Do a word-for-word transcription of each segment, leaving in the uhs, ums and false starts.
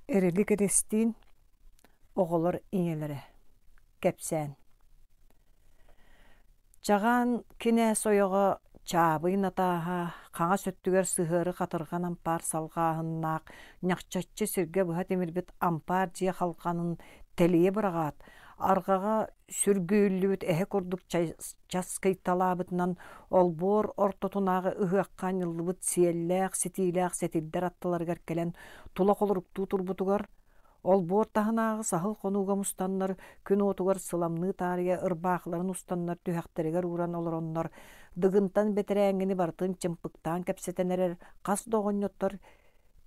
Эрилик Эристиин оҕолор ийэлэрэ кэпсээн Чаҕаан кинээс ойоҕо Чаабый Натааһа хаҥас өттүгэр сыһыары хатырҕан ампаар салҕааһыннаах ньахчаччы сиргэ быһа тимирбит ампаар дьиэ халҕанын тэлийэ быраҕаат, арҕаҕа сүргүллүбүт эһэ курдук часкыйталаабытынан олбуор ортотунааҕы ыһыахха анньыллыбыт сиэллээх, ситиилээх сэтирдэр аттыларыгар кэлэн тула холоруктуу турбутугар, олбуор таһынааҕы саһыл хонууга мустаннар күн уотугар сыламныы таарыйа ырбаахыларын устаннар түһэхтэригэр ууран олороннор, Дыгынтан бэтэрээҥҥини барытын чымпыктаан кэпсэтэн эрэр хас да оҕонньоттор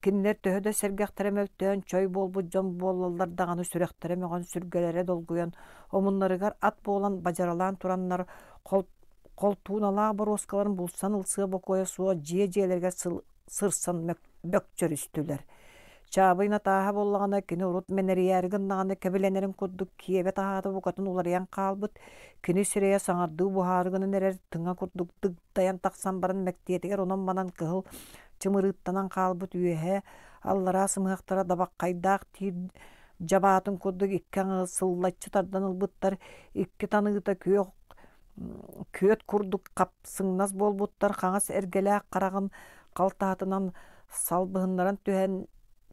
кинилэр төһө да сэргэхтэрэ мөлтөөн чой буолбут дьон буоллаллар даҕаны сүрэхтэрэ мөҕөн сүргэлэрэ долгуйан омуннарыгар ат буолан бадьаралаан тураннар холтууналаах боруоскаларын булсан ылсыа бокуойа суох дьиэ дьиэлэригэр сырсан бөкчөрүстүлэр. Чаабый Натааһа буоллаҕына кини урут мэнэрийээри гыннаҕына кэбилэнэрин курдук киэбэ таһаата букатын уларыйан хаалбыт, кини сирэйэ саҥардыы буһаары гынан эрэр тыҥа курдук дыгдайан тахсан баран мэктиэтигэр онон-манан кыһыл чымырыыттанан хаалбыт үөһэ аллараа сымыһахтара дабаххайдаах тиир дьабаатын курдук икки аҥы сыллаччы тардан ылбыттар, икки таныыта күөх күөт курдук хапсыҥнас буолбуттар, хаҥас эргэлээх хараҕын халтаһатынан салбыһыннаран түһэн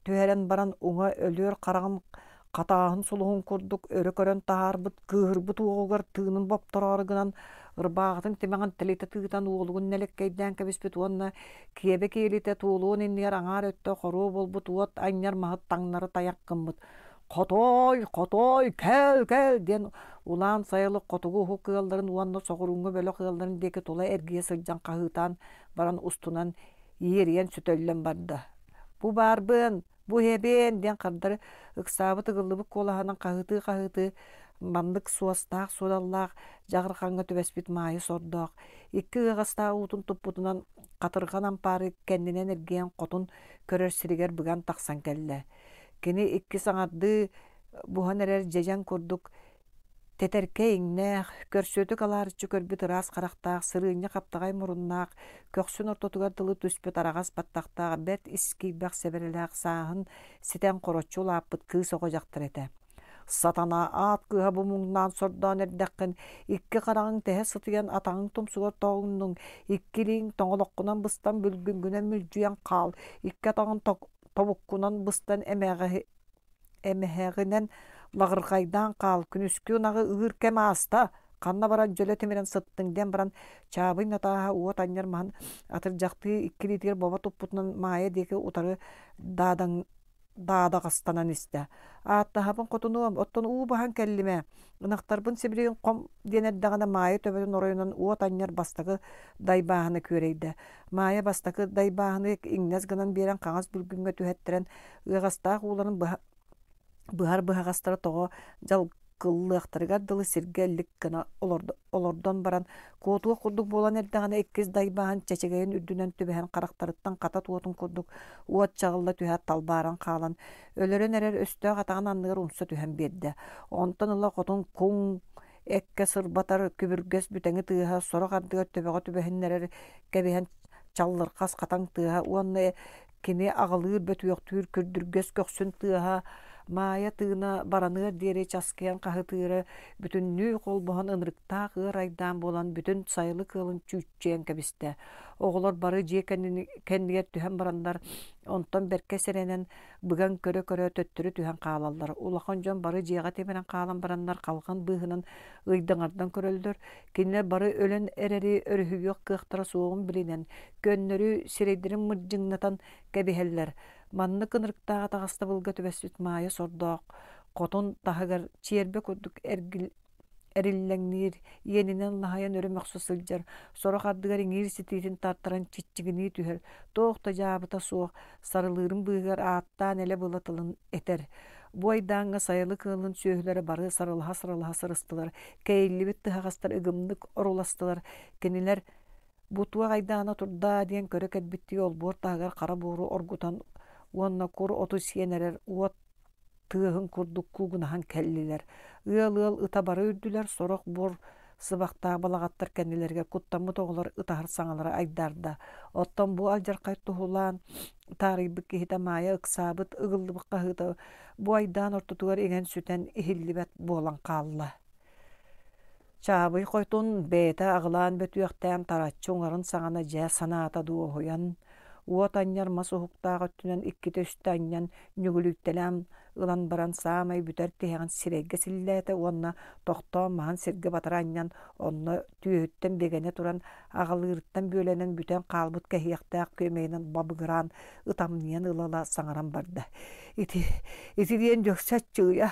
түһэрэн баран уҥа өлүөр хараҕын хатааһын сулуһун курдук өрө көрөн таһаарбыт кыыһырбыт уоҕугар тыынын боптороору гынан ырбааҕытын тимэҕин тэлитэ тыытан уолугун нэлэккэйдээн кэбиспит уонна киэбэ киэлитэ туолуон иннигэр аҥаар өттө хоруо буолбут уот анньар маһы таҥнары тайах гыммыт «Хотуой, хотуой, кэл, кэл!» диэн улаан сайылык хотугу уһук ыалларын уонна соҕурууҥҥу бөлөх ыалларын диэки тула эргийэ сылдьан хаһыытаан баран устунан иэрийэн сөтөллөн барда. «Бу баарбын, бу иһэбин!» диэн хардары ыксаабыт ыгыллыбыт куолаһынан хаһыытыы-хаһыытыы маннык суостаах-суодаллаах дьаҕырҕаҥҥа түбэспит Маайа сордоох икки ыаҕастаах уутун туппутунан хатырҕан ампаары кэннинэн эргийэн хотун көрөр сиригэр быган тахсан кэллэ. Кини икки саҥардыы буһан эрэр дьэдьэн курдук тэтэркэй иҥнээх, көрсүөтүк алаарыччы көрбүт ыраас харахтаах, сырыынньа хаптаҕай муруннаах, көхсүн ортотугар дылы түспүт араҕас баттахтаах, бэрт ис киирбэх сэбэрэлээх сааһын ситэн хороччу улааппыт кыыс оҕо дьахтар этэ. Сатана аат кыыһа бу муҥнаан сордоон эрдэххин, икки хараҕыҥ тэһэ сытыйан атаҕыҥ тумсугар тоҕуҥнуҥ, икки илииҥ тоҥолоххунан быстан бүлгүҥҥүнэн мүлдьүйэн хаал, икки атаҕын тобуккунан быстан эмэҕи эмэһэҕинэн лаҕырҕайдаан хаал, күнүскү ынаҕы ыыр кэм ааста, ханна баран дьөлө тимирэн сыттыҥ диэн баран Чаабый Натааһа уот анньар маһын атырдьахтыы икки илиитигэр бобо туппутунан Маайа диэки утары даадаҥ даадаҕастанан истэ. Ааттаһабын хотунуом, оттон уу баһан кэллим ээ, ынахтарбын сибилигин хом диэн эрдэҕинэ Маайа төбөтүн оройунан уот анньар бастакы дайбааһына күөрэйдэ. Маайа бастакы дайбааһыны иҥнэс гынан биэрэн хаҥас бүлгүҥҥэ түһэттэрэн ыаҕастаах ууларын быһа быһар быһаҕастара тоҕо дьалкыллыахтарыгар дылы сиргэ эллик гына олордон баран куотуох курдук буолан эрдэҕинэ иккис дайбааһын чэчэгэйин үрдүнэн түбэһэн харахтарыттан хата туотун курдук уот чаҕылла түһээт талбааран хаалан өлөрөн эрэр өстөөх атаҕын анныгар умса түһэн биэрдэ. Онтон ыла хотун куҥ эккэ сырбатар күбүргэс бүтэҥи тыаһа сорох ардыгар төбөҕө түбэһиннэрэр кэбиһэн чаллырхас хатаҥ тыаһа уонна кини аҕылыыр бөтүөхтүүр күрдүргэс көхсүн тыаһа Маайа тыына бараныар диэри часкыйан хаһытыыра бүтүннүү холбоһон ынырыктаах ыар айдаан буолан бүтүн сайылык ыалын чүүччүйэн кэбистэ. Оҕолор бары дьиэ кэннигэр түһэн бараннар, онтон бэркэ сэрэнэн быган көрө-көрө төттөрү түһэн хаалаллар. Улахан дьон бары дьиэҕэ тимирэн хаалан бараннар халҕан быыһынан ыйдаҥардан көрөллөр. Кинилэр бары өлөн эрэри өрүһүйүөх кыахтара суоҕун билинэн, көннөрү сирэйдэрин мырдьыҥнатан кэбиһэллэр. Маннык ынырыктаах атаҕастабылга түбэспит Маайа сордоох хотун таһыгар чиэрбэ курдук эргил эриллэҥниир, иэнинэн лаһайан өрө мөхсө сылдьар, сорох ардыгар иҥиир ситиитин тартаран чиччигинии түһэр, туох да дьаабыта суох, сарылыырын быыһыгар ааттаан элэ-была тылын этэр. Бу айдааҥҥа сайылык ыалын сүөһүлэрэ бары сарылаһа-сарылаһа сырыстылар, кэйиллибит тыһаҕастар ыгымнык оруластылар, кинилэр бу туох айдаана турдаа диэн көрө кэлбиттии олбуор таһыгар хара буору оргутан уонна кур оту сиэн эрэр уот тыаһын курдук куугунаһан кэллилэр. Ыал-ыал ыта бары үрдүлэр, сорох буор сыбахтаах балаҕаттар кэннилэригэр куттаммыт оҕолор ытаһар саҥалара айдаарда. Оттон бу алдьархай туһулаан таарыйбыт киһитэ Маайа ыксаабыт, ыгыллыбыт хаһыыта бу айдаан ортотугар иҥэн-сүтэн иһиллибэт буолан хаалла. Чаабый хотун бэйэтэ аҕылаан бөтүөхтээн тараччы уҥарын саҕана дьэ санаата дуоһуйан, уот анньар мас уһуктаах өттүнэн иккитэ-үстэ анньан нүгүлүйтэлээн ылан баран саамай бүтэр тиһэҕин сирэйгэ силлээтэ уонна тохтоон маһын сиргэ батары анньан онно түөһүттэн бигэнэ туран аҕалыырыттан бүөлэнэн бүтэн хаалбыт кэһиэхтээх күөмэйинэн бабыгыраан ытамньыйан ыла-ыла саҥаран барда ити ити диэн дьөксө аччыгыйа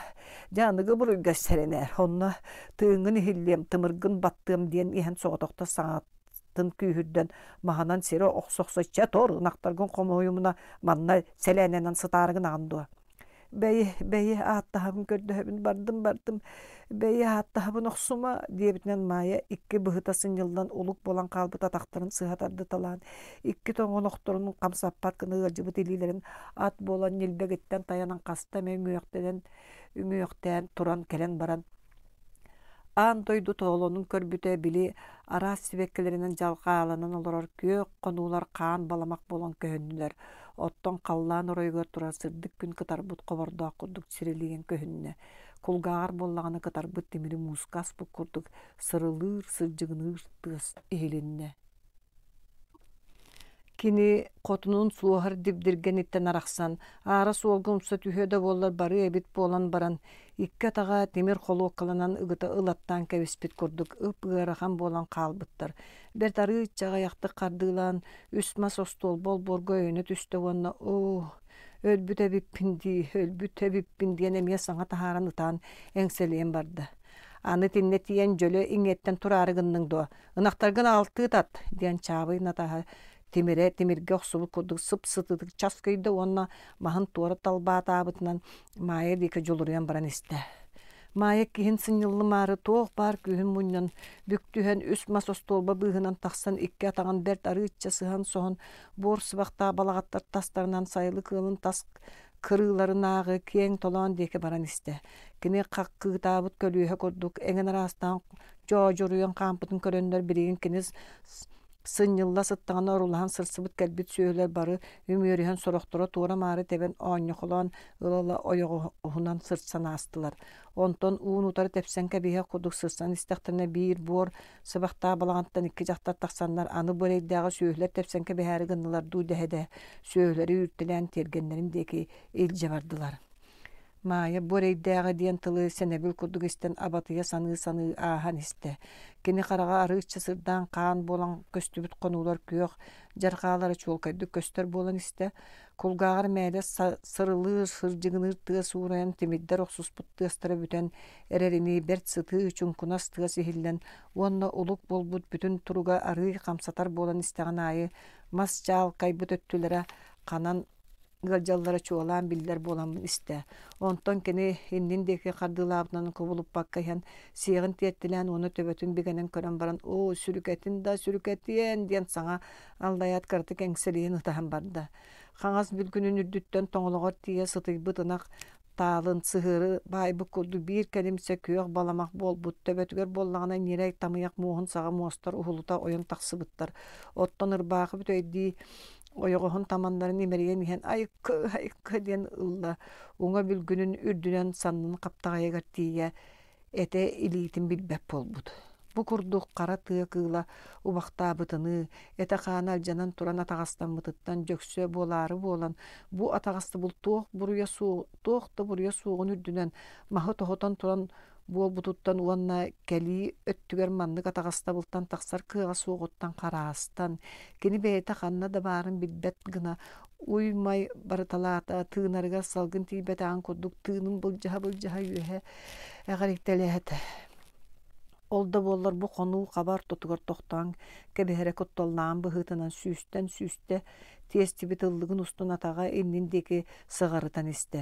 дьэ аныгы буруйга сэрэнээр онно тыыҥҥын иһиллиэм тымыргын баттыам диэн иһэн соҕотохто саҥатын күүһүрдэн маһынан сири охсо-охсо чэ тор ынахтаргын хомуйумуна манна сэлээнэнэн сытаарыгын аҕын дуо Бэйи, бэйи, ааттаһабын көрдөһөбүн, бардым, бардым, бэйи, ааттаһабын охсума, диэбитинэн Маайа икки быһыта сынньыллан улук буолан хаалбыт атахтарын сыһа тардыталаан, икки тоҥолохторун хамсаппат гына ыалдьыбыт илиилэрин ат буолан ньилбэгиттэн тайанан хаста эмэ үҥүөхтэнэн үҥүөхтээн туран кэлэн баран Аан дойду тоолонун көрбүтэ, били араас сибэккилэринэн дьалхааланан олорор күөх хонуулар хаан баламах буолан көһүннүлэр, оттон халлаан оройугар турар сырдык күн кытарбыт хобордоох курдук сирилийэн көһүннэ. Кулгааҕар буоллаҕына кытарбыт тимири мууска аспыт курдук сырылыыр, сырдьыгыныыр тыас иһилиннэ. Кини хотунун суоһар дибдиргэниттэн арахсан, аара суолга умса түһүө да буоллар барыа эбит буолан баран, икки атаҕа тимир холуоккаланан ыгыта ылаттаан кэбиспит курдук ып-ыарахан буолан хаалбыттар. Бэрт арыычча аҕыйахтык хардыылаан, үс мас остуолба олбуорга өйөнө түстэ уонна «Оо, өлбүт эбиппин дии, өлбүт эбиппин» диэн эмиэ саҥа таһааран ытаан эҥсэлийэн барда. Аны итиннэ тиийэн дьөлө иҥиэттэн тураары гынныҥ дуо? Ынахтаргын аҕалтыы тат, диэн Чаабый Натааһа тимирэ тимиргэ охсубут курдук сып-сытыытык часкыйда уонна маһын туора талбаатаабытынан Маайа диэки дьулуруйан баран истэ. Маайа киһин сынньыллымаары туох баар күүһүн мунньан, бүк түһэн үс мас остуолба быыһынан тахсан икки атаҕын бэрт арыычча сыһан-соһон буор сыбахтаах балаҕаттар тастарынан сайылык ыалын тас кырыыларынааҕы киэҥ толоон диэки баран истэ. Кини хаккыытаабыт көлүөһэ курдук эҥин араастаан дьоодьуруйан хаампытын көрөннөр билигин кини сынньылла сыттаҕына орулаһан сырсыбыт кэлбит сүөһүлэр бары үмүөрүһэн сорохторо туора-маары тэбэн оонньохолоон ыла-ыла ойоҕоһунан сырсан аастылар. Онтон уун-утары тэпсэн кэбиһиэх курдук сырсан истэхтэринэ биир буор сыбахтаах балаҕантан икки дьахтар тахсаннар аны бу эрэйдээҕи сүөһүлэр тэпсэн кэбиһээри гыннылар дуу дэһэ-дэһэ сүөһүлэри үүртэлээн тиэргэннэрин диэки илдьэ бардылар. Маайа бу эрэйдээҕи диэн тылы сэнэбил курдук истэн абатыйа саныы-саныы ааһан истэ. Кини хараҕа арыычча сырдаан хаан буолан көстүбүт хонуулар күөх дьарҕаалара чуолкайдык көстөр буолан истэ. Кулгааҕар мээлэ сырылыыр, сырдьыгыныыр тыас уурайан тимирдэр охсуспут тыастара бүтэн эрэринии бэрт сытыы чуҥкунас тыас иһиллэн уонна улук буолбут бүтүн туруга арыый хамсатар буолан истэҕин аайы мас чаалкайбыт өттүлэрэ ханан ыалдьаллара чуолаан биллэр буолан истэ. Онтон кини иннин диэки хардыылаабытынан кубулуппакка иһэн сиэҕин тиэртилээн уонна төбөтүн бигэнэн көрөн баран «Оо, сүрүкэтин да сүрүкэтиэн!» диэн саҥа аллайаат кыратык эҥсэлийэн ытаһан барда. Хаҥас бүлгүнүн үрдүттэн тоҥолоҕор тиийэ сытыйбыт ынах таалын сыһыары баайбыт курдук биир кэлимсэ күөх баламах буолбут төбөтүгэр буоллаҕына ньирэй тамыйах муоһун саҕа муостар уһулута ойон тахсыбыттар оттон ырбаахы бүтэйдии ойоҕоһун таманнарын имэрийэн иһэн айыкка айыкка диэн ылла уҥа бүлгүнүн үрдүнэн саннын хаптаҕайыгар тиийэ этэ илиитин билбэт буолбут бу курдук хара тыа кыыла убахтаабытыныы этэ-хаана алдьанан туран атаҕастаммытыттан дьөксө буолаары буолан бу атаҕастабыл туох буруйа суох туох да буруйа суоҕун үрдүнэн маһы тоһутан туран буолбутуттан уонна кэлии өттүгэр маннык атаҕастабылтан тахсар кыаҕа суоҕуттан хараастан кини бэйэтэ ханна да баарын билбэт гына уй-май барыталаата тыынарыгар салгын тиийбэтэҕин курдук тыынын былдьаһа-былдьаһа үөһэ эҕирийтэлээтэ ол да буоллар бу хонуу хаба ортотугар тохтоон кэбиһэрэ кутталлааҕын быһыытынан сүүстэн сүүстэ тиэстибит ыллыгын устун атаҕа иннин диэки сыҕарытан истэ.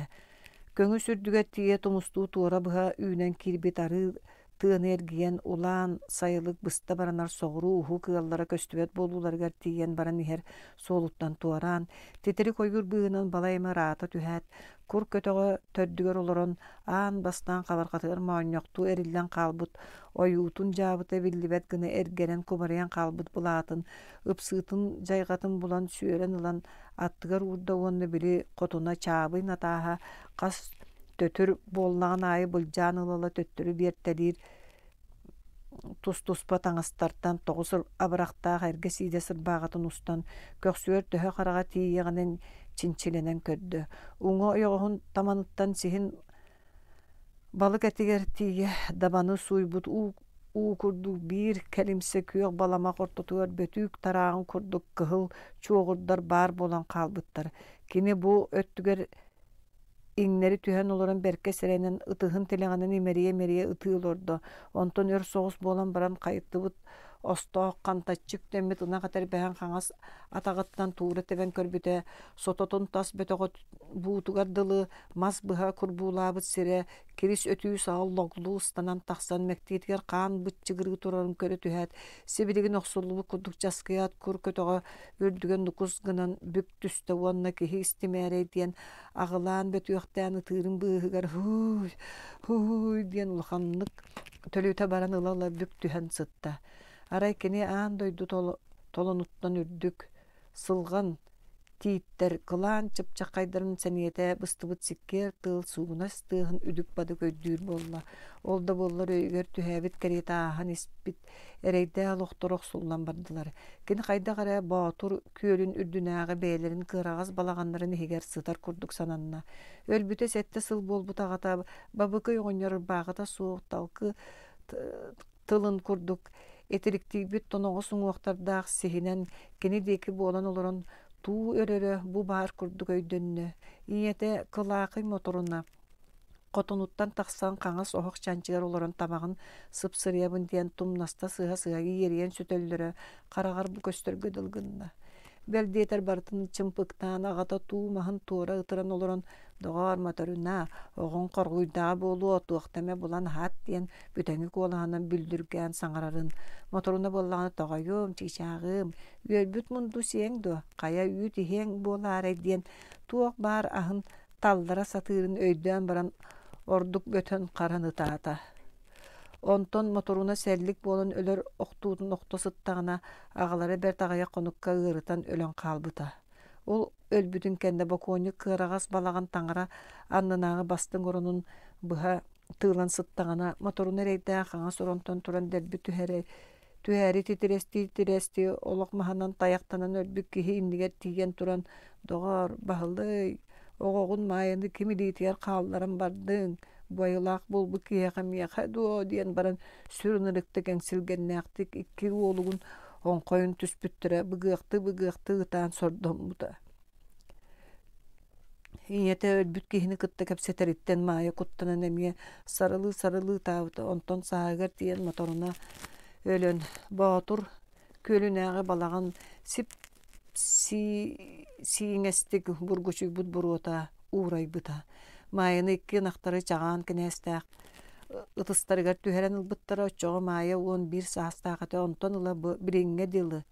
Көҥүс үрдүгэр тиийэ тумустуу туора быһа үүнэн киирбит арыы Тыаны эргийэн, улаан сайылык быста баранар соҕуруу уһук ыаллара көстүбэт буолууларыгар тиийэн баран иһэр суолуттан туораан, титирик ойуур быыһынан балай эмэ ыраата түһээт, кур көтөҕө төрдүгэр олорон, аан бастаан хабарҕатыгар моонньохтуу эриллэн хаалбыт ойуутун дьаабыта биллибэт гына эргэрэн кубарыйан хаалбыт былаатын, ыпсыытын дьайҕатын булан сүөрэн ылан аттыгар уурда уонна били хотуна Чаабый Натааһа хас төтөр буоллаҕын аайы былдьаан ыла-ыла төттөрү биэртэлиир тус-туспа таҥастартан тоҕус абырахтаах эргэ сиидэ сырбааҕытын устан, көхсүгэр төһө хараҕа тиийиэҕинэн чинчилэнэн көрдө. Уҥа ойоҕоһун таманыттан сиһин балык этигэр тиийэ дабаны сууйбут уу, уу курдук биир кэлимсэ күөх баламах ортотугар бөтүүк тарааҕын курдук кыһыл чуоҕурдар баар буолан хаалбыттар. Кини бу өттүгэр иҥнэри түһэн олорон бэркэ сэрэнэн ытыһын тилэҕинэн имэрийэ-имэрийэ ытыы олордо. Онтон өр соҕус буолан баран хайыттыбыт остоох хантаччы үктэммит ынах этэрбэһин хаҥас атаҕыттан туура тэбэн көрбүтэ, сототун тас бөтөҕө буутугар дылы мас быһа курбуулаабыт сирэ кирис өтүү саҕа логлуу ыстанан тахсан мэктиэтигэр хаан быччыгырыы турарын көрө түһээт, сибилигин охсуллубут курдук часкыйаат кур көтөҕө үрдүгэр нукус гынан бүк түстэ уонна киһи истимээрэй диэн аҕылаан бөтүөхтээн ытыырын быыһыгар һууй һууй диэн улаханнык төлүтэ баран ыла-ыла бүк түһэн сытта. Арай кини аан дойду толонуттан үрдүк, сылҕан тииттэр кылаан чыпчаххайдарын сэниэтэ быстыбыт сиккиэр тыал суугунас тыаһын үдүк-бадык өйдүүр буолла. Ол да буоллар өйүгэр түһээбит кэриэтэ ааһан испит эрэйдээх олохторо охсуллан бардылар. Кини хайдах эрэ Боотур күөлүн үрдүнээҕи бэйэлэрин кыараҕас балаҕаннарын иһигэр сытар курдук сананна. Өлбүтэ сэттэ сыл буолбут аҕата Бабыкый оҕонньор ырбааҕыта суох талкы тылын курдук итириктийбит тоноҕос уҥуохтардаах сиһинэн кини диэки буолан олорон туу өрөрө бу баар курдук өйдөннө. Ийэтэ Кылаакый Моторуна хотонуттан тахсан хаҥас оһох чанчыгар олорон табаҕын сыпсырыйабын диэн тумнаста сыһа-сыһа иэрийэн сүтэллэрэ хараҕар бу көстөргө дылы гынна. Бэл диэтэр барытын чымпыктаан аҕата туу маһын туора ытыран олорон «Доҕоор, Моторуна, оҕоҥ хоргуйдаҕа буолуо, туохта эмэ булан аһаат» диэн бүтэҥи куолаһынан бүлдүргээн саҥарарын, Моторуна буоллаҕына «Тоҕойуом, чыычааҕым, үөрбүт мунду сиэҥ дуо, хайа үүт иһиэҥ буолаарай» диэн туох баар аһын таллара сатыырын өйдөөн баран ордук бөтөн харан ытаата. Онтон Моторуна сэллик буолан өлөр охтуутун охто сыттаҕына, аҕалара бэрт аҕыйах хонукка ыарытан өлөн хаалбыта. Ол өлбүтүн кэннэ бокуонньук кыараҕас балаҕан таҥара аннынааҕы бастыҥ оронун быһа тыылан сыттаҕына, Моторуна эрэйдээх хаҥас оронтон туран дэлби түһэрэ түһээри титирэстии-титирэстии олох маһынан тайахтанан өлбүт киһи иннигэр тиийэн туран «Доҕоор, баһылый, оҕоҕун Маайаны ким илиитигэр хаалларан бардыҥ, буойалаах буолбут киһиэхэ миэхэ дуо?» диэн баран сүр ынырыктык эҥсилгэннээхтик икки уолугун оҥхойун түспүттэрэ быгыахтыы-быгыахтыы ытаан сордоммута. Ийэтэ өлбүт киһини кытта кэпсэтэриттэн Маайа куттанан эмиэ сарылыы-сарылыы ытаабыта, онтон сааһыгар тиийэн Моторуна өлөн, Боотур күөлүнээҕи балаҕан сип сииҥэстик бургучуйбут буруота уурайбыта. Маайаны икки ынахтары чаҕаан кинээстээх ытыстарыгар түһэрэн ылбыттара, оччоҕо Маайа уон биир саастаах этэ, онтон ыла бу билиҥҥэ дылы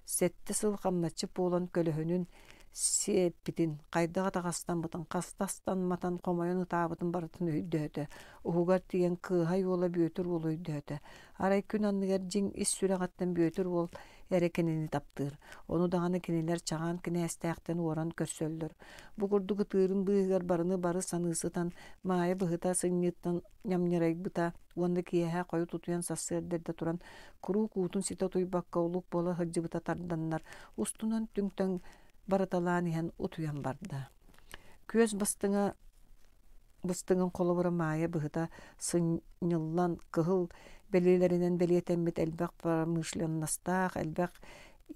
сэттэ сыл хамначчыт буолан көлөһүнүн сиэппитин, хайдах атаҕастаммытын, хаста астамматын, хомойон ытаабытын барытын өйдөөтө. Уһугар тиийэн кыыһай уола Бүөтүр уолу өйдөөтө. Арай күн анныгар дьиҥ ис сүрэҕиттэн Бүөтүр уол эрэ кинини таптыыр. Ону даҕаны кинилэр Чаҕаан кинээстээхтэн уоран көрсөллөр. Бу курдук ытыырын быыһыгар барыны бары саныы сытан, Маайа быһыта сынньыыттан ньамньырайбыта уонна киэһэ хойут утуйан сарсыарда эрдэ туран куруук уутун ситэ утуйбакка улук буола сылдьыбыта тарданнар, устунан түҥ-таҥ барыталаан иһэн утуйан барда. Күөс бастыҥа быстыҥын холобура Маайа быһыта сынньыллан кыһыл бэлиэлэринэн бэлиэтэммит элбэх промышленностаах, элбэх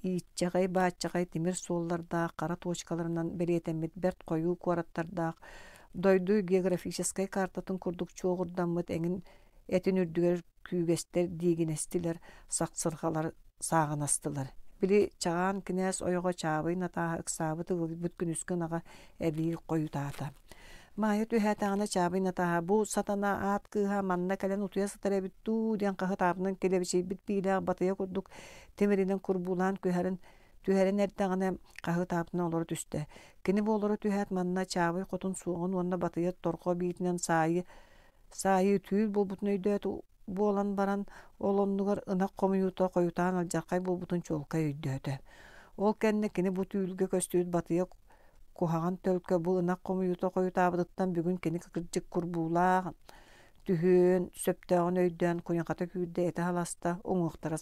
ииччэҕэй-бааччаҕай тимир суоллардаах, хара точкаларынан бэлиэтэммит бэрт хойуу куораттардаах, дойду географическай картатын курдук чуоҕурдаммыт эҥин этин үрдүгэр күүгэстэр диигинэстилэр, сахсырҕалар сааҕынастылар. Били Чаҕаан кинээс ойоҕо Чаабый Натааһа ыксаабыт ыгылыйбыт күнүскү ынаҕа эбии хойутаата. Маайа түһээтэҕинэ Чаабый Натааһа бу сатана аат кыыһа манна кэлэн утуйа сытар эбит дуу диэн хаһытаабынан килэбэчийбит биилээх батыйа курдук тимиринэн курбуулаан түһэрин түһэрин эрдэҕинэ хаһытаабытынан олоро түстэ. Кини бу олоро түһээт манна Чаабый хотун суоҕун уонна батыйа торҕо биитинэн саайы саайыы түүл буолбутун өйдөөтө буолан баран ол оннугар ынах хомуйуута хойутаан алдьархай буолбутун чуолкай өйдөөтө. Ол кэннэ кини бу түүлгэ көстүбүт батыйа куһаҕан төлкө бу ынах хомуйуута хойутаабытыттан бүгүн кини кырдьык курбуулаах түһүөн сөптөөҕүн өйдөөн куйахата күүрдэ этэ халаста уҥуохтара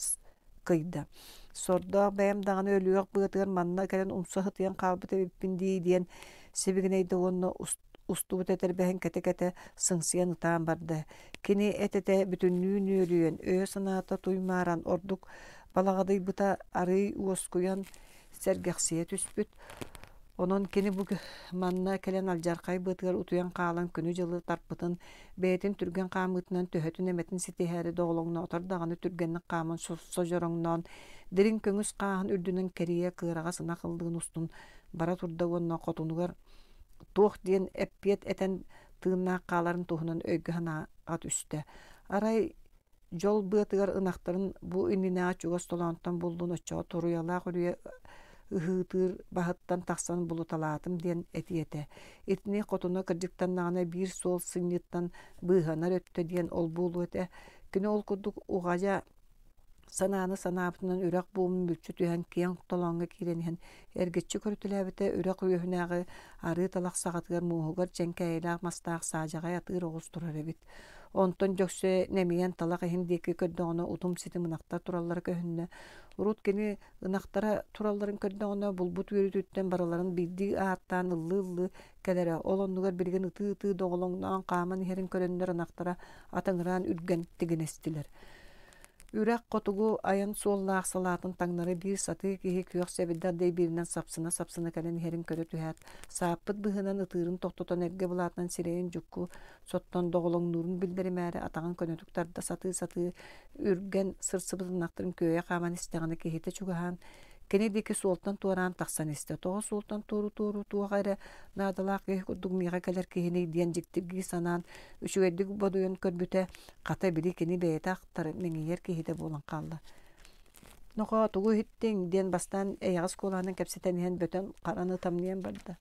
кыйда. Сордоох бэйэм даҕаны өлүөх быатыгар манна кэлэн умса сытыйан хаалбыт эбиппин дии диэн сибигинэйдэ уонна устубут этэрбэһин кэтэ-кэтэ сыҥсыйан ытаан барда. Кини эт-этэ бүтүннүү нүөлүйэн, өйө-санаата туймааран ордук балаҕадыйбыта арыый уоскуйан сэргэхсийэ түспүт. Онон кини бу манна кэлэн алдьархай быатыгар утуйан хаалан күнү-дьылы тарпытын, бэйэтин түргэн хаамыытынан төһөтүн эмэтин ситиһээри доҕолоҥноотор даҕаны түргэнник хааман содьороҥноон, дириҥ көҥүс хааһын үрдүнэн кэрийэ кыараҕас ынах ыллыгын устун бара турда уонна хотунугар туох диэн эппиэт этэн тыыннаах хааларын туһунан өйгө санааҕа түстэ. Арай дьол быатыгар ынахтарын бу иннинээҕи чугас толоонтон буллун оччоҕо туруйалаах үрүйэ ыһыытыыр баһыттан тахсан булуталаатым диэн этиэ этэ. Итини хотуна кырдьыктаннаҕына биир суол сынньыттан быыһанар өттө диэн ол буолуо этэ. Кини ол курдук уҕайа санааны санаабытынан үрэх буомун мүлчү түһэн киэҥ толооҥҥо киирэн иһэн эргиччи көрүтэлээбитэ үрэх үөһүнээҕи арыы талах саҕатыгар мууһугар чэҥкээйилээх мастаах саадьаҕай атыыр оҕус турар эбит. Онтон Дьөксө нэмийэн талах иһин диэки көрдөҕүнэ утум-ситим ынахтар тураллара көһүннэ. Урут кини ынахтара туралларын көрдөҕүнэ булбут үөрүүтүттэн барыларын биирдии ааттаан ыллыы-ыллыы кэлэрэ. Ол оннугар билигин ытыы-ытыы доҕолоҥноон хааман иһэрин көрөннөр ынахтара атыҥыраан үргэн тигинэстилэр. Үрэх хотугу айан суоллаах салаатын таҥнары биир сатыы киһи күөх сэбирдэх дэйбииринэн сапсына-сапсына кэлэн иһэрин көрө түһээт, сааппыт быһыынан ытыырын тохтотон эргэ былаатынан сирэйин дьукку соттон доҕолоҥнуурун биллэримээри атаҕын көнөтүк тарда сатыы-сатыы үргэн сырсыбыт ынахтарын күөйэ хааман истэҕинэ киһитэ чугаһаан кини диэки суолтан туораан тахсан истэ. Тоҕо суолтан туору-туору туох эрэ наадалаах киһи курдук миэхэ кэлэр киһиний диэн дьиктиргии санаан үчүгэйдик бодуйан көрбүтэ, хата били кини бэйэтэ ахтар, мэҥийэр киһитэ буолан хаалла. «Нохоо, тугу иһиттиҥ?» диэн бастаан эйэҕэс куолаһынан кэпсэтэн иһэн бөтөн хараны тамныйан барда.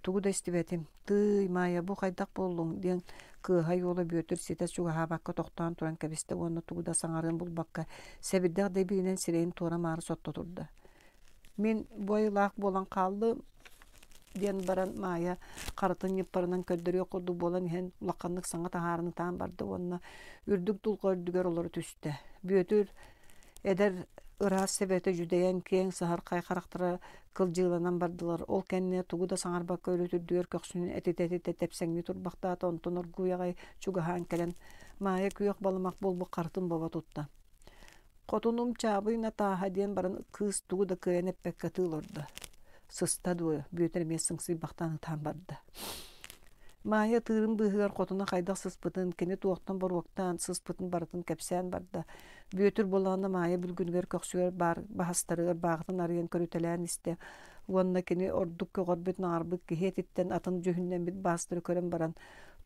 Тугу да истибэтим. «Тыый, Маайа, бу хайдах буоллуҥ?» диэн кыаһай уола Бүөтүр ситэ чугаһаабакка тохтоон туран кэбистэ уонна тугу да саҥарыан булбакка сэбирдэх дэбиинэн сирэйин туора-маары сотто турда. Мин бу айылаах буолан хааллым диэн баран Маайа харытын ньыппарынан көрдөрүөх курдук буолан иһэн улаханнык саҥа таһааран ытаан барда уонна үрдүк дулҕа үрдүгэр олоро түстэ. Бүөтүр эдэр ыраас сэбэтэ дьүдэйэн киэҥ саһархай харахтара кылдьыыланан бардылар. Ол кэннэ тугу да саҥарбакка өрүт үрдүгэр көхсүнүн этитэ-этитэ тэпсэҥнии турбахтаата, онтон оргууй аҕай чугаһаан кэлэн Маайа күөх балымах буолбут харытын бобо тутта. Хотунум Чаабый Натааһа диэн баран кыыс тугу да кыайан эппэккэ ытыы олордо. Сыста дуо, Бүөтүр эмиэ сыҥсыйбахтаан ытаан барда. Маайа ытыырын быыһыгар хотуна хайдах сыспытын, кини туохтан боруоктаан сыспытын барытын кэпсээн барда. Бүөтүр буоллаҕына Маайа бүлгүнүгэр көхсүгэр баар баһастарыгар бааҕытын арыйан көрүтэлээн истэ уонна кини ордук көҕөрбүт наҕарбыт киһи этиттэн атын дьүһүннэммит баастары көрөн баран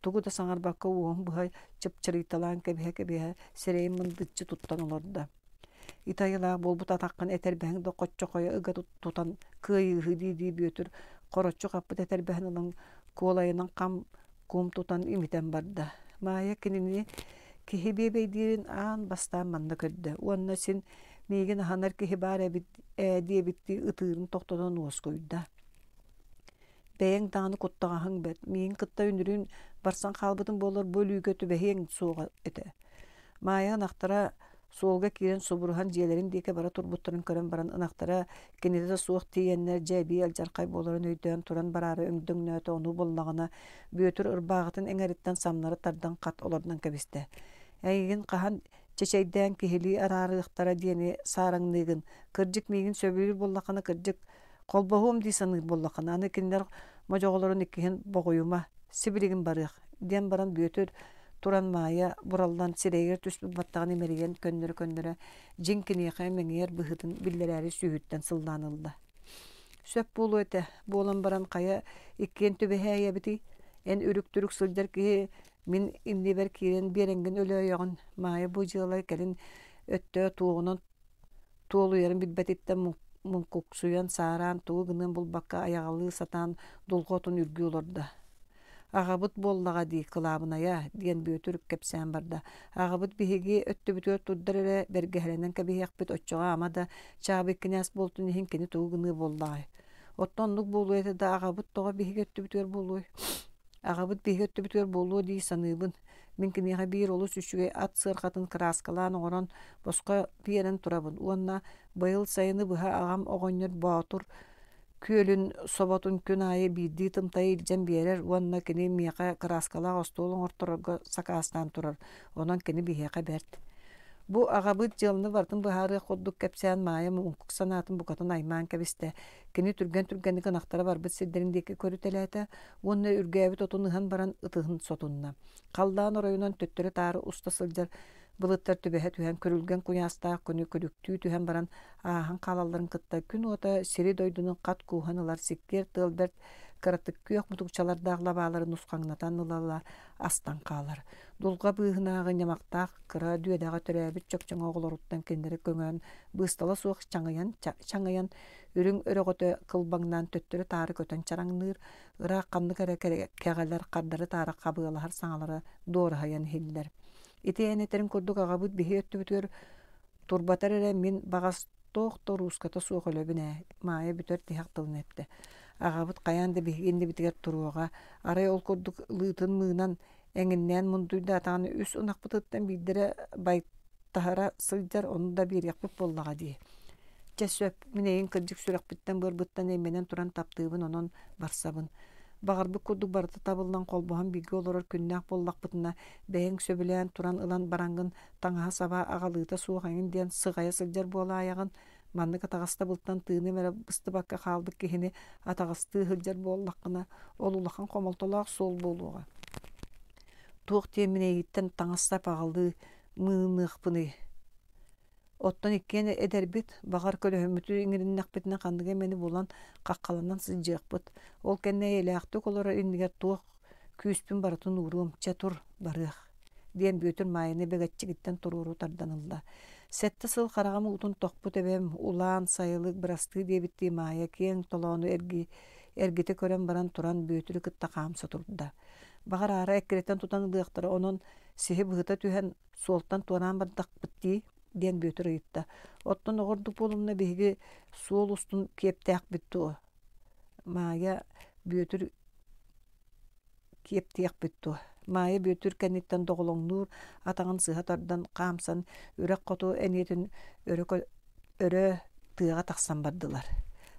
тугу да саҥарбакка уоһун быһа чыпчырыйталаан кэбиһэ-кэбиһэ сирэйин мындыччы туттан олордо. Ити айылаах буолбут атаххын этэрбэһиҥ да хоччохойо ыга тутан кыайыыһы дии-дии Бүөтүр хороччу хаппыт этэрбэһин ылан куолайынан хам кум тутан имитэн барда. Маайа кинини киһи биэбэйдиирин аан бастаан манна көрдө уонна син миигин аһанар киһи баар эбит ээ диэбиттии ытыырын тохтотон уоскуйда. Бэйэҥ даҕаны куттаҕаһыҥ бэрт, миигин кытта үнүрүүн барсан хаалбытым буоллар бу өлүүгэ түбэһиэҥ суоҕа этэ. Маайа ынахтара суолга киирэн субуруһан дьиэлэрин диэки бара турбуттарын көрөн баран ынахтара кинитэ да суох тиийэннэр дьэ эбии алдьархай буоларын өйдөөн туран бараары өҥдөҥнөөтө ону буллаҕына Бүөтүр ырбааҕытын эҥэриттэн самнары тардан хат олордон кэбистэ. Эйигин хаһан чэчэйдээн киһилии араарыахтара диэни саараҥныыгын, кырдьык миигин сөбүлүүр буоллаххына кырдьык холбоһуом дии саныыр буоллаххына аны кинилэр модьоҕолорун иккиһин боҕуйума, сибилигин барыах диэн баран Бүөтүр туран Маайа бураллан сирэйигэр түспүт баттаҕын имэрийэн көннөрө-көннөрө дьиҥ киниэхэ мэҥийэр быһыытын биллэрээри сүүһүттэн сыллаан ылла. Сөп буолуо этэ, буолан баран хайа иккиэн түбэһээйэбитий? Эн үрүк-түрүк сылдьар киһи мин иннибэр киирэн биэрэҥҥин өлөөйөҕүн. Маайа бу дьыала кэлин өттө туоҕунан туолуйарын билбэтиттэн муҥкуксуйан, саараан тугу гыныан булбакка айаҕалыы сатаан дулҕа отун үргүү олордо. Аҕабыт буоллаҕа дии, кылаабынайа, диэн Бүөтүр кэпсээн барда. Аҕабыт биһиги өттүбүтүгэр турдар эрэ бэргэһэлэнэн кэбиһиэхпит, оччоҕо ама да Чаабый кинээс буолтун иһин кини тугу гыныа буоллаҕай? Оттон оннук буолуо этэ да аҕабыт тоҕо биһиги өттүбүтүгэр буолуой? Аҕабыт биһиги өттүбүтүгэр буолуо дии саныыбын. Мин киниэхэ биир олус үчүгэй ат сыарҕатын кырааскалаан оҥорон босхо биэрэн турабын уонна быйыл сайыны быһа аҕам оҕонньор Боотур күөлүн соботун күн аайы биирдии тымтайы илдьэн биэрэр уонна кини миэхэ кырааскалаах остуол оҥорторорго сакаастаан турар, онон кини биһиэхэ бэрт. Бу аҕабыт дьыаланы барытын быһаарыах курдук кэпсээн Маайа муҥкук санаатын букатын аймаан кэбистэ. Кини түргэн-түргэнник ынахтара барбыт сирдэрин диэки көрүтэлээтэ уонна үргээбит отун ыһан баран ытыһын сотунна. Халлаан оройунан төттөрү-таары уста сылдьар былыттар түбэһэ түһэн күрүлгэн куйаастаах күнү күлүктүү түһэн баран ааһан хаалалларын кытта күн уота сири-дойдуну хат кууһан ылар сиккиэр тыал бэрт кыратык күөх мутукчалардаах лабаалары нусхаҥнатан ыла-ыла астан хаалар. Дулҕа быыһынааҕы ньамахтаах кыра дүөдэҕэ төрөөбүт чөкчөҥө оҕолоруттан кинилэри көҥөөн быыстала суох чаҥыйан чаҥыйан үрүҥ өрөҕөтө кылбаҥнаан төттөрү-таары көтөн чараҥныыр, ыраах ханнык эрэ кэҕэлэр хардары-таары хабыалаһар саҥалара дуораһыйан иһиллэр. Ити эн этэрин курдук аҕабыт биһи өттүбүтүгэр турбатар эрэ мин баҕас туох да урууската суох өлөбүн ээ, Маайа бүтэр тиһэх тылын эттэ. Аҕабыт хайаан да биһиги иннибитигэр туруоҕа, арай ол курдук лыытын мыынан эҥиннээн мундуйдаатаҕына үс ынахпытыттан биирдэрэ байтаһара сылдьар, ону да биэриэхпит буоллаҕа дии. Чэ сөп, мин эйигин кырдьык сүрэхпиттэн-быарбыттан эймэнэн туран таптыыбын, онон барсабын. Баҕарбыт курдук барыта табыллан холбоһон бииргэ олорор күннээх буоллахпытына, бэйэҥ сөбүлээн туран ылан бараҥҥын таҥаһа-саба аҕалыыта суох эҥин диэн сыҕайа сылдьар буолаайаҕын, маннык атаҕастабылтан тыыным эрэ быстыбакка хаалбыт киһини атаҕастыы сылдьар буоллаххына, ол улахан хомолтолоох суол буолуоҕа. Туох диэммин эйигиттэн таҥас-сап аҕалыы мыыныахпыный? Оттон иккиэн эдэрбит, баҕар көлөһөммүтү иҥэриннэхпитинэ ханнык эмэни булан хаххаланан сылдьыахпыт. Ол кэннэ эйэлээхтик олорор иннигэр туох күүспүн барытын ууруом, чэ тур, барыах диэн Бүөтүр Маайаны бэгэччигиттэн туруору тардан ылла. Сэттэ сыл хараҕым уутун тохпут эбэм, улаан, сайылык, бырастыы диэбиттии Маайа киэҥ толоону эрги, эргитэ көрөн баран туран Бүөтүрү кытта хаамса турда. Баҕар аара эккирэтэн тутан ылыахтара, онон сиһи быһыта түһэн суолтан туораан бардахпыт дии диэн Бүөтүр ыйытта. Оттон оҕордук буолумна биһиги суол устун киэптээхпит дуо? Маайа Бүөтүр киэптиэхпит дуо? Маайа Бүөтүр кэнниттэн доҕолоҥнуур атаҕын сыһа тардан хаамсан үрэх хоту эниэтин өрө, өрө тыаҕа тахсан бардылар.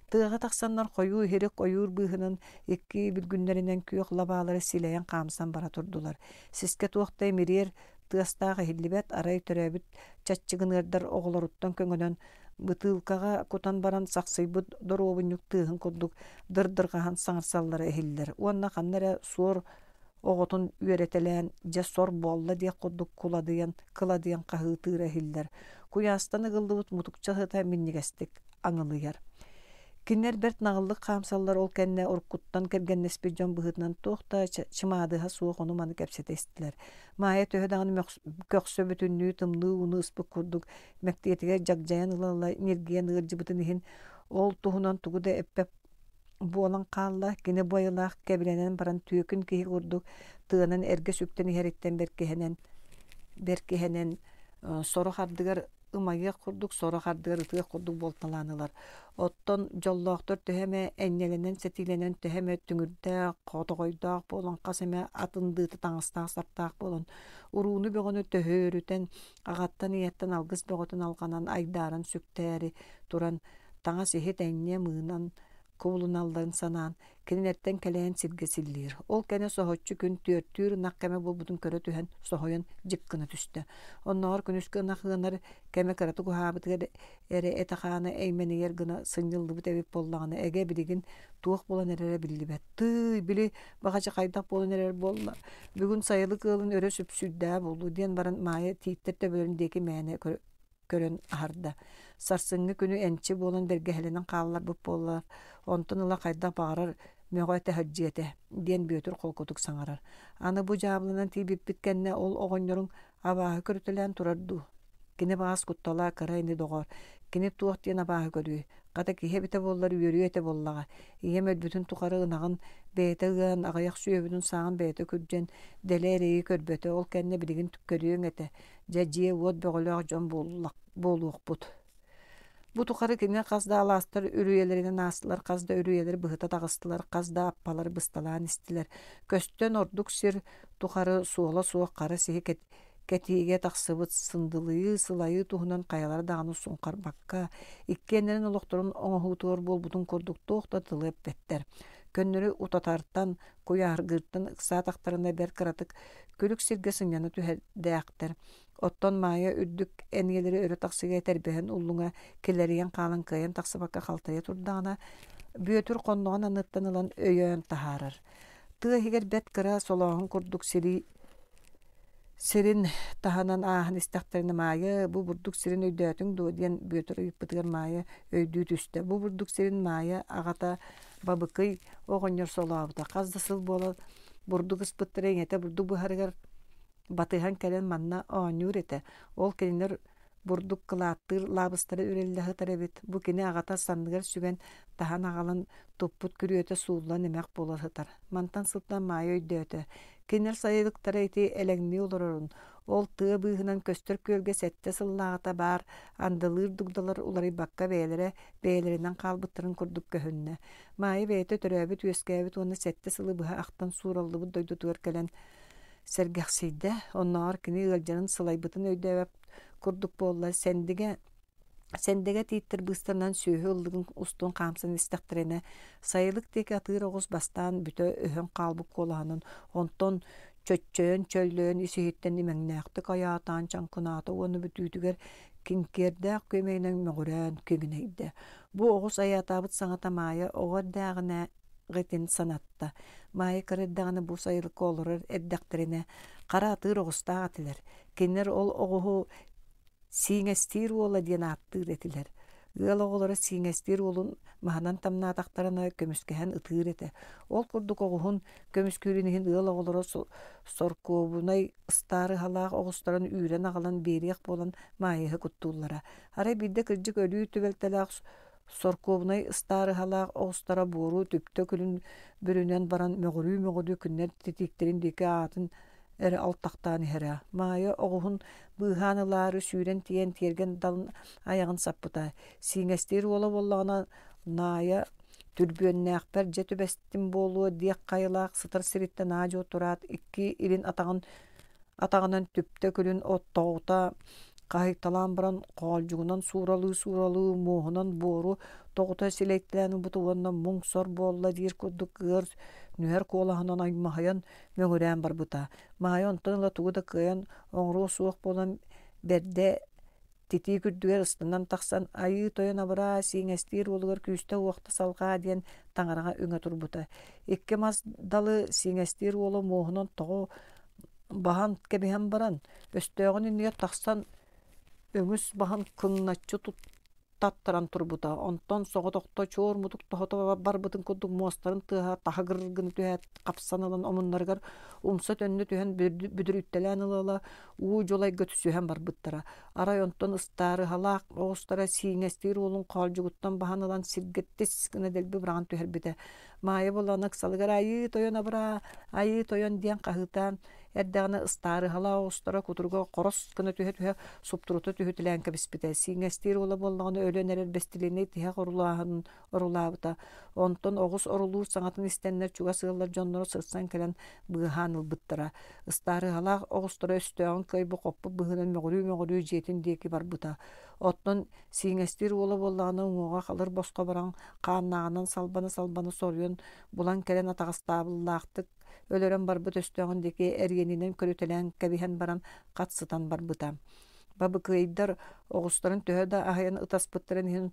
Тыаҕа тахсаннар хойуу иһирик ойуур быыһынан икки бүлгүннэринэн күөх лабаалары силэйэн хаамсан бара турдулар. Сискэ туох да имириэр тыастаах иһиллибэт, арай төрөөбүт чаччыгыныардар оҕолоруттан көҥөнөн бытыылкаҕа кутан баран сахсыйбыт доруобунньук тыаһын курдук дырдырҕаһан саҥарсаллара иһиллэр уонна ханна эрэ суор оҕотун үөрэтэлээн дьэ сор буолла диэх курдук куладыйан кыладыйан хаһыытыыра иһиллэр. Куйаастан ыгыллыбыт мутукча сыта минньигэстик аҥылыйар. Кинилэр бэрт наҕыллык хаамсаллар ол кэннэ уруккуттан кэргэннэспит дьон быһыытынан туох да чымаадыһа суох ону-маны кэпсэтэ истилэр. Маайа төһө даҕаны көхсө бүтүннүү тымныы ууну ыспыт курдук мэктиэтигэр дьагдьайан ыла-ыла ньиргийэн ыалдьыбытын иһин ол туһунан тугу да эппэт буолан хаалла. Кини бу айылаах кэбилэнэн баран түөкүн киһи курдук тыанан эргэ сүктэн иһэриттэн бэркиһэнэн бэркиһэнэн сорох ардыгар ымайыах курдук, сорох ардыгар ытыах курдук буолталаан ылар. Оттон дьоллоохтор төһө эмэ энньэлэнэн-сэтиилэнэн, төһө эмэ түҥүрдээх, хотоҕойдоох буолан, хас эмэ атын дыыта таҥастаах-саптаах буолан, урууну бөҕөнү төһөөрүтэн, аҕаттан-ийэттэн алгыс бөҕөтүн алҕанан, айдааран сүктээри туран, таҥас иһит энньэ мыынан кубулуналларын санаан, кинилэртэн кэлэйэн сиргэ силлиир. Ол кэннэ соһуччу күн түөртүүр ынах кэмэ буолбутун көрө түһэн соһуйан дьик гына түстэ. Оннооҕор күнүскү ынах ыанар кэмэ кыратык уһаабытыгар эрэ этэ-хаана эймэнийэр гына сынньыллыбыт эбит буоллаҕына, эгэ билигин туох буолан эрэрэ биллибэт. Тыый, били баҕадьы хайдах буолан эрэр буолла? Бүгүн сайылык ыалын өрө сүпсүйдээ буолуо диэн баран Маайа тииттэр төбөлөрүн диэки мээнэ көрөн аһарда. Сарсыҥҥы күнү энчи буолан бэргэһэлэнэн хаалларбыт буоллар, онтон ыла хайдах баҕарар мөҕө-этэ сылдьыа этэ диэн Бүөтүр холкутук саҥарар. Аны бу дьаабыланан тиийбиппит кэннэ ол оҕонньоруҥ абааһы көрүтэлээн турар дуу? Кини баҕас куттала кыра ини доҕоор, кини туох диэн абааһы көрүөй? Хата киһи эбитэ буоллар үөрүө этэ буоллаҕа. Ийэм өлбүтүн тухары ынаҕын бэйэтэ ыан, аҕыйах сүөһүбүтүн сааҕын бэйэтэ күрдьэн, дэлэ эрэйи көрбөтө, ол кэннэ билигин көрүөҥ этэ. Дьэ дьиэ-уот бөҕөлөөх дьон буолуохпут. Бу тухары кини хас да алаастар үрүйэлэринэн аастылар, хас да үрүйэлэр быһыта таҕыстылар, хас да аппалар бысталаан истилэр. Көстөн ордук сир тухары суола суох хара сиһи кэтиигэ тахсыбыт сындылыйыы, сылайыы туһунан хайалара даҕаны суҥхарбакка, иккиэннэрин олохторун оҥоһуутугар буолбутун курдук туох да тылы эппэттэр. Көннөрү утатартан, куйааргыыртан ыксаатахтарына бэрт кыратык күлүк сиргэ сынньана түһэрдээхтэр. Оттон Маайа үрдүк эниэлэри өрө тахсыыга этэрбэһин уллуҥа килэрийэн хаалан кыайан тахсыбакка халтайа турдаҕына, Бүөтүр хонноҕун анныттан ылан өйөөн таһаарар. Тыа иһигэр бэрт кыра солооһун курдук сири сирин таһынан ааһан истэхтэринэ Маайа бу бурдук сирин өйдөөтүҥ дуо диэн Бүөтүр ыйыппытыгар Маайа өйдүү түстэ. Бу бурдук сирин Маайа аҕата Бабыкый оҕонньор солообута. Хас да сыл буолан бурдук ыспыттара ийэтэ бурдук быһарыгар батыһан кэлэн манна оонньуур этэ. Ол кинилэр бурдук кылааттыыр лаабыстара үрэллэ сытар эбит. Бу кини аҕата санныгар сүгэн таһан аҕалан туппут күрүөтэ сууллан эмэх буола сытар. Мантан сылтаан Маайа өйдөөтө. Кинилэр сайылыктара ити элэҥнии олорорун, ол тыа быыһынан көстөр күөлгэ сэттэ сыллааҕыта баар андылыыр дугдалар уларыйбакка бэйэлэрэ бэйэлэринэн хаалбыттарын курдук көһүннэ. Маайа бэйэтэ төрөөбүт-үөскээбит уонна сэттэ сылы быһа ахтан суураллыбыт дойдутугар кэлэн сэргэхсийдэ. Оннооҕор кини ыалдьарын сылайбытын өйдөөбөт курдук буолла. Сэндигэ Сэндэгэ тииттэр быыстарынан сүөһү ыллыгын устун хаамсан истэхтэринэ, сайылык диэки атыыр оҕус бастаан бүтэ өһөн хаалбыт куолаһынан, онтон чөччөйөн чөллөйөн ис-иһиттэн имэҥнээхтик айаатаан чаҥкынаата уонна бүтүүтүгэр киҥкиэрдээх күөмэйинэн мөҕүрээн киҥинэйдэ. Бу оҕус айаатаабыт саҥата Маайа оҕо эрдээҕинэ ҕитин санатта. Маайа кыра эрдэҕинэ бу сайылыкка олорор эрдэхтэринэ хара атыыр оҕустаах этилэр. Кинилэр ол оҕуһу Сииҥэстиир уола диэн ааттыыр этилэр. Ыал оҕолоро сииҥэстиир уолун маһынан тамнаатахтарына көмүскэһэн ытыыр этэ. Ол курдук оҕуһун көмүскүүрүн иһин ыал оҕолоро соркуобунай ыстаарыһалаах оҕустарын үүрэн аҕалан биэриэх буолан Маайыһы куттууллара. Арай биирдэ кырдьык өлүү түбэлтэлээх соркуобунай ыстаарыһалаах оҕустара буору түптэ күлүн бүрүнэн баран мөҕүрүү-мөҕүрүү күннэр титииктэрин диэки аатын эрэ алтахтаан иһэрэ. Маайа оҕуһун быыһаан ылаары сүүрэн тиийэн тиэргэн далын айаҕын саппыта. Сииҥэстиир уола буоллаҕына Наайа түрбүөннээхпэр дьэ түбэстим буолуо диэх хайалаах сытар сириттэн аа-дьуо тураат икки илин атаҕын атаҕынан түптэ күлүн оттоҕута хаһыйталаан баран хоолдьугунан сууралыы-сууралыы муоһунан буору тоҕута силэйтэлээн ылбыт уонна муҥ-сор буолла диир курдук ыар нүһэр куолаһынан аймаһыйан мөҥүрээн барбыта. Маайа онтон ыла тугу да кыайан оҥоруо суох буолан бэрдэ титиик үрдүгэр ыстанан тахсан «Айыы тойон абыраа, сииҥэстиир уолугар күүстэ-уохта салҕаа» диэн таҥараҕа үҥэ турбута. Икки мас далы сииҥэстиир уола муоһунан тоҕо баһан кэбиһэн баран, өстөөҕүн иннигэр тахсан өҥүс баһын кыҥначчы таттаран турбута. Онтон соҕотохто чуор мутук тоһото барбытын курдук муостарын тыаһа таһыгыр гына түһээт хапсан ылан омуннарыгар умса төннө түһэн бүдүрүттэлээн ыла-ыла уу дьулайга түсүһэн барбыттара. Арай онтон ыстаарыһалаах оҕустара сииҥэстиир уолун хоолдьугуттан баһан ылан сиргэ тис гына дэлби быраҕан түһэрбитэ. Маайа буолан ыксалыгар «Айыы тойон абыраа, айыы тойон» диэн хаһыытаан эрдэҕинэ ыстаарыһалаах оҕустара кутуруга хорос гына түһэ-түһэ суптурута түһүтэлээн кэбиспитэ. Сииҥэстиир уола буоллаҕына өлөн эрэр бэстилиэнэй тиһэх орулааһынын орулаабыта. Онтон оҕус орулуур саҥатын истэннэр чугас ыаллар дьонноро сырсан кэлэн быыһаан ылбыттара. Ыстаарыһалаах оҕустара өстөөҕүн кыайбы хоппут быһыынан мөҕүрүү-мөҕүрүү дьиэтин диэки барбыта. Оттон сииҥэстиир уола буоллаҕына уҥуоҕа халыр босхо баран хааннааҕынан салбана-салбана соруйан булан кэлэн атаҕастаабыллаахтык өлөрөн барбыт өстөөҕүн диэки эриэнинэн көрүтэлээн кэбиһэн баран хат сытан барбыта. Бабыкыйдар оҕустарын төһө да аһыйан ытаспыттарын иһин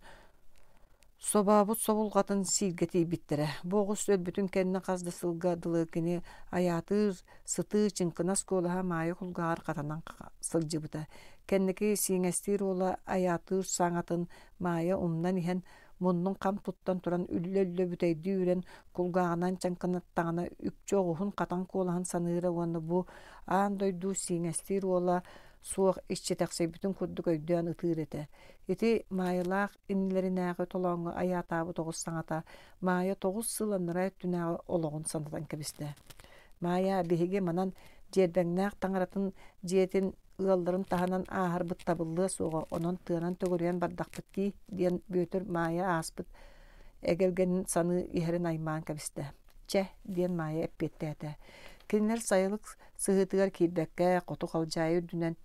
собообут собулҕатын сииргэ тиийбиттэрэ. Бу оҕус өлбүтүн кэннэ хас да сылга дылы кини айаатыыр сытыы чыҥкынас куолаһа Маайа кулгааҕар хатанан сылдьыбыта. Кэнники сииҥэстиир уола айаатыыр саҥатын Маайа умнан иһэн Муннун хам туттан туран үллэ-үллэ бүтэйдии үрэн кулгааҕынан чаҥкынаттаҕына үкчү оҕуһун хатан куолаһын саныыра уонна бу аан дойду сииҥэстиир уола суох иччитэхсийбитин курдук өйдөөн ытыыр этэ. Ити Маайалаах иннилэринээҕи толооҥҥо айаатаабыт оҕус саҥата Маайа тоҕус сыл анараа өттүнээҕи олоҕун санатан кэбистэ. Маайа, биһиги манан Дьиэрбэҥнээх таҥаратын дьиэтин ыалларын таһынан ааһарбыт табыллыа суоҕа, онон тыанан төгүрүйэн бардахпыт дии, диэн Бүөтүр Маайа ааспыт эгэлгэнин саныы иһэрин аймаан кэбистэ. Чэ, диэн Маайа эппиэттээтэ. Кинилэр сайылык сыһыытыгар киирбэккэ, хоту халдьаайы үрдүнэн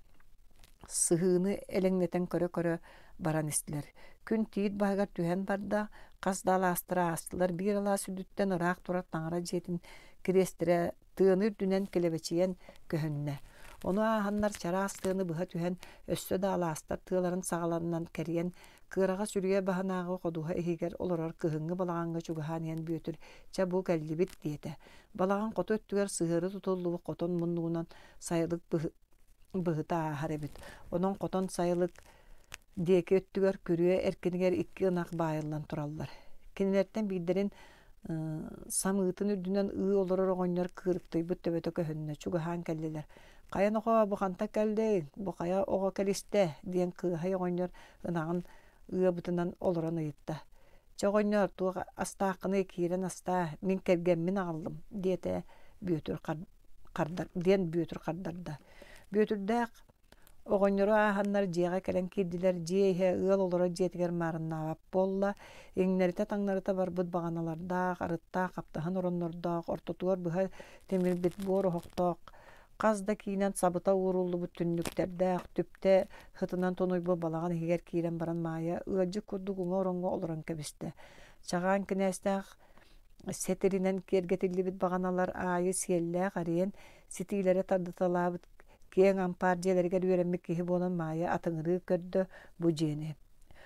сыһыыны элэҥнэтэн көрө-көрө баран истилэр. Күн тиит баһыгар түһэн барда, хас да алаастары аастылар. Биир алаас үрдүттэн ыраах турар таҥара дьиэтин кириэстэрэ тыаны үрдүнэн килэбэчийэн көһүннэ. Ону ааһаннар чараас тыаны быһа түһэн, өссө да алаастар тыаларын саҕаларынан кэрийэн, кыараҕас үрүйэ баһынааҕы ходуһа иһигэр олорор кыһыҥҥы балаҕаҥҥа чугаһаан иһэн Бүөтүр «Чэ, бу кэллибит» диэтэ. Балаҕан хоту өттүгэр сыһыары тутуллубут хотон муннугунан сайылык быһыта ааһар эбит. Онон хотон сайылык диэки өттүгэр күрүө эркинигэр икки ынах баайыллан тураллар. Кинилэртэн биирдэрин самыытын үрдүнэн ыы олорор оҕонньор кыырыктыйбыт төбөтө көһүннэ, чугаһаан кэллилэр. «Хайа нохоо, бу хантан кэллиҥ? Бу хайа оҕо кэлистэ?» диэн кыаһай оҕонньор ынаҕын ыабытынан олорон ыйытта. «Чэ оҕонньор, туох астааххыный, киирэн астаа, мин кэргэммин аҕаллым», диэтэ Бүөтүр хардар диэн Бүөтүр хардарда. Бүөтүрдээх оҕонньору ааһаннар дьиэҕэ кэлэн киирдилэр, дьиэ иһэ ыал олорор дьиэтигэр маарыннаабат буолла, иҥнэритэ-таҥнарыта барбыт баҕаналардаах, арыттаах хаптаһын ороннордоох, ортотугар быһа тимирбит буор оһохтоох, хас да киинэн сабыта ууруллубут түннүктэрдээх, түптэ сытынан тунуйбут балаҕан иһигэр киирэн баран Маайа ыалдьыт курдук уҥа ороҥҥо олорон кэбистэ. Чаҕаан кинээстээх сэтиринэн киэргэтиллибит баҕаналар аайы сиэллээх эриэн ситиилэрэ тардыталаабыт киэҥ ампаар дьиэлэригэр үөрэммит киһи буолан Маайа атыҥырыы көрдө бу дьиэни.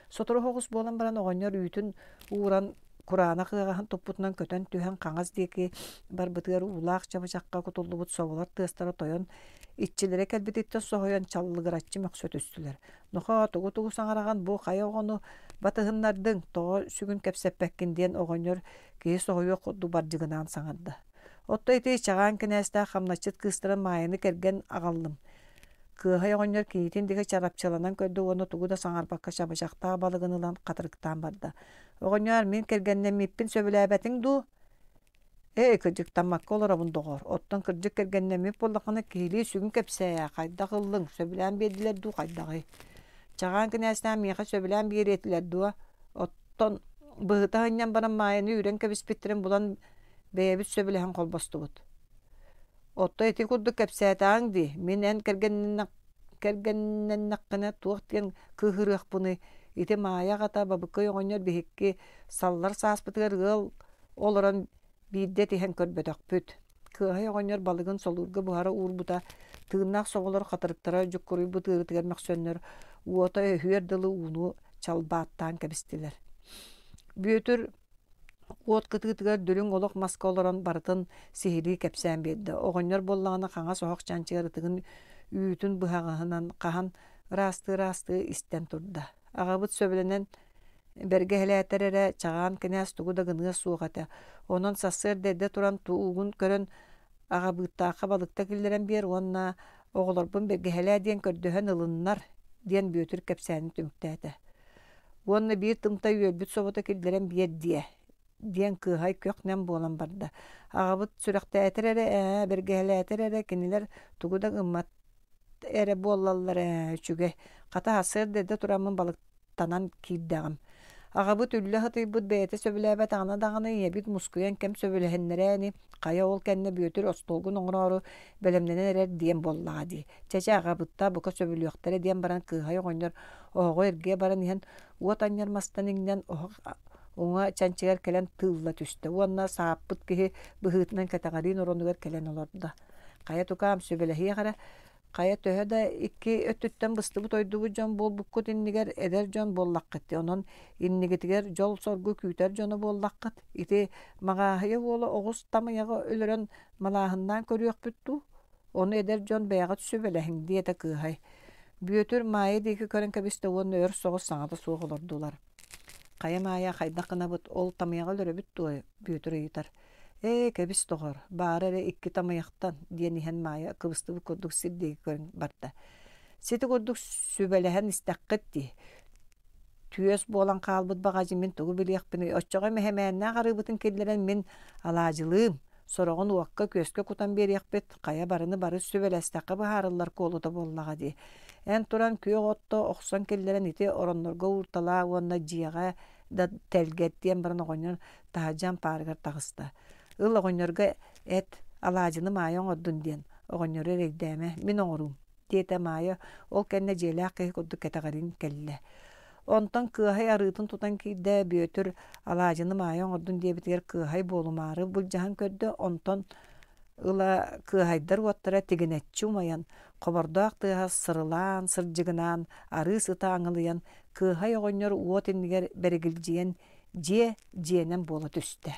Сотору соҕус буолан баран оҕонньор үүтүн ууран кураанах ыаҕаһын туппутунан көтөн түһэн хаҥас диэки барбытыгар уулаах чабычахха кутуллубут соболор тыастара тойон иччилэрэ кэлбититтэн соһуйан чаллыгыраччы мөхсө түстүлэр. «Нохоо, тугу-тугу саҥараҕын, бу хайа оҕону батыһыннардыҥ, тоҕо сүгүн кэпсэппэккин» диэн оҕонньор киһи соһуйуох курдук бардьыгынаан саҥарда. Оттон ити Чаҕаан кинээстээх хамначчыт кыыстарын Маайаны кэргэн аҕаллым. Кыаһай оҕонньор кийиитин диэки чарапчыланан көрдө уонна тугу да саҥарбакка чабычахтаах балыгын ылан хатырыктаан барда. «Оҕонньоор, мин кэргэннэммиппин сөбүлээбэтиҥ дуу?» «Ээ, кырдьыктаммакка олоробун, доҕоор. Оттон кырдьык кэргэннэммит буоллаххына, киһилии сүгүн кэпсээ ээ, хайдах ыллыҥ, сөбүлээн биэрдилэр дуу, хайдаҕый?» «Чаҕаан кинээстээх миэхэ сөбүлээн биэриэ этилэр дуо? Оттон быһыта сынньан баран Маайаны үүрэн кэбиспиттэрин булан бэйэбит сөбүлэһэн холбостубут. Оттон ити курдук кэпсээтэҕиҥ дии, мин эн кэргэннэннэххинэ туох диэн кыыһырыахпыный? Ити Маайа аҕата Бабыккай оҕонньор биһикки саллар сааспытыгар ыал олорон биирдэ этиһэн көрбөтөхпүт. Кыаһай оҕонньор балыгын солуурга буһара уурбута, тыыннаах соҕолор хатырыктара дьуккуруйбут ыарыытыгар мөхсөннөр, уота өһүөр дылы ууну чалбааттаан кэбистилэр. Бүөтүр уот кытыытыгар дүлүҥ олох маска олорон барытын сиһилии кэпсээн биэрдэ. Оҕонньор буоллаҕына хаҥас оһох чанчыгар ытыгын үүтүн быһаҕаһынан хаһан ыраастыы-ыраастыы истэн турда. Аҕабыт сөбүлэнэн бэргэһэлээтэр эрэ Чаҕаан кинээс тугу да гыныа суох этэ. Онон сарсыарда эрдэ туран туугун көрөн аҕабыыттаахха балыкта киллэрэн биэр уонна оҕолорбун бэргэһэлээ диэн көрдөһөн ылыннар диэн Бүөтүр кэпсээнин түмүктээтэ. Уонна биир тымтай үөрбүт собото киллэрэн биэр диэ диэн кыаһай көх-нэм буолан барда. Аҕабыт сүрэхтээтэр эрэ ээ, бэргэһэлээтэр эрэ кинилэр тугу да гыммат эрэ буоллаллар ээ, үчүгэй. Хата сарсыарда эрдэ тураммын балыктанан киирдэҕим. Аҕабыт үллэ сытыйбыт бэйэтэ сөбүлээбэтэҕинэ даҕаны ийэбит мускуйан кэм сөбүлэһиннэрээ ини, хайа ол кэннэ Бүөтүр остуолгун оҥороору бэлэмнэнэн эрэр диэн буоллаҕа дии. Чэ-чэ аҕабыттаа бука сөбүлүөхтэрэ диэн баран кыыһай оҕонньор оһоҕу эргийэ баран иһэн уот анньар мастан иҥнэн оһох уҥа чанчыгар кэлэн тыылла түстэ уонна сааппыт киһи быһыытынан кэтэҕэриин оронугар кэлэн олордо. Хайа тукаам сүбэлэһиэх эрэ, хайа төһө да икки өттүттэн быстыбыт ойдубут дьон буолбуккут иннигэр эдэр дьон буоллаххыт дии, онон иннигитигэр дьол-соргу күүтэр дьоно буоллаххыт. Ити Маҕааһыйа уола оҕус тамыйаҕы өлөрөн малааһыннаан көрүөхпүт дуу? Ону эдэр дьон бэйэҕит сүбэлэһиҥ диэтэ кыыһай. Бүөтүр Маайа диэки көрөн кэбистэ уонна өр соҕус саҥата суох олордулар. Хайа Маайа хайдах гынабыт, ол тамыйаҕы өлөрөбүт дуо? Бүөтүр ыйытар. Ээ, кэбис доҕор, баара эрэ икки тамыйахтан, диэн иһэн Маайа кыбыстыбыт курдук сир диэки көрөн барда. Сити курдук сүбэлэһэн истэххит дии. Түөс буолан хаалбыт баҕадьы мин тугу билиэхпиний, оччоҕо мэһэмээннээх арыыбытын киллэрэн мин алаадьылыым, сороҕун уокка-күөскэ кутан биэриэхпит, хайа барыны бары сүбэлэстэххэ быһаарыллар куолута буоллаҕа дии. Эн туран күөх отто охсон киллэрэн ити ороннорго уурталаа уонна дьиэҕэ да тэлгэт диэн баран оҕонньор таһырдьа ампаарыгар таҕыста. Ыл оҕонньорго эт, алаадьыны Маайа оҥордун диэн, оҕонньору эрэйдээмэ, мин оҥоруум, диэтэ Маайа, ол кэннэ дьиэлээх киһи курдук кэтэҕэрин кэллэ. Онтон Кыаһай арыытын тутан киирдэ, Бүөтүр алаадьыны Маайа оҥордун диэбитигэр Кыаһай буолумаары былдьаһан көрдө, онтон ыла Кыаһайдар уоттара тигинэччи умайан, хобордоох тыаһа сырылаан, сырдьыгынаан, арыы сыта аҥылыйан, Кыаһай оҕонньор уот иннигэр бэригилдьийэн дьиэ дьиэнэн буола түстэ.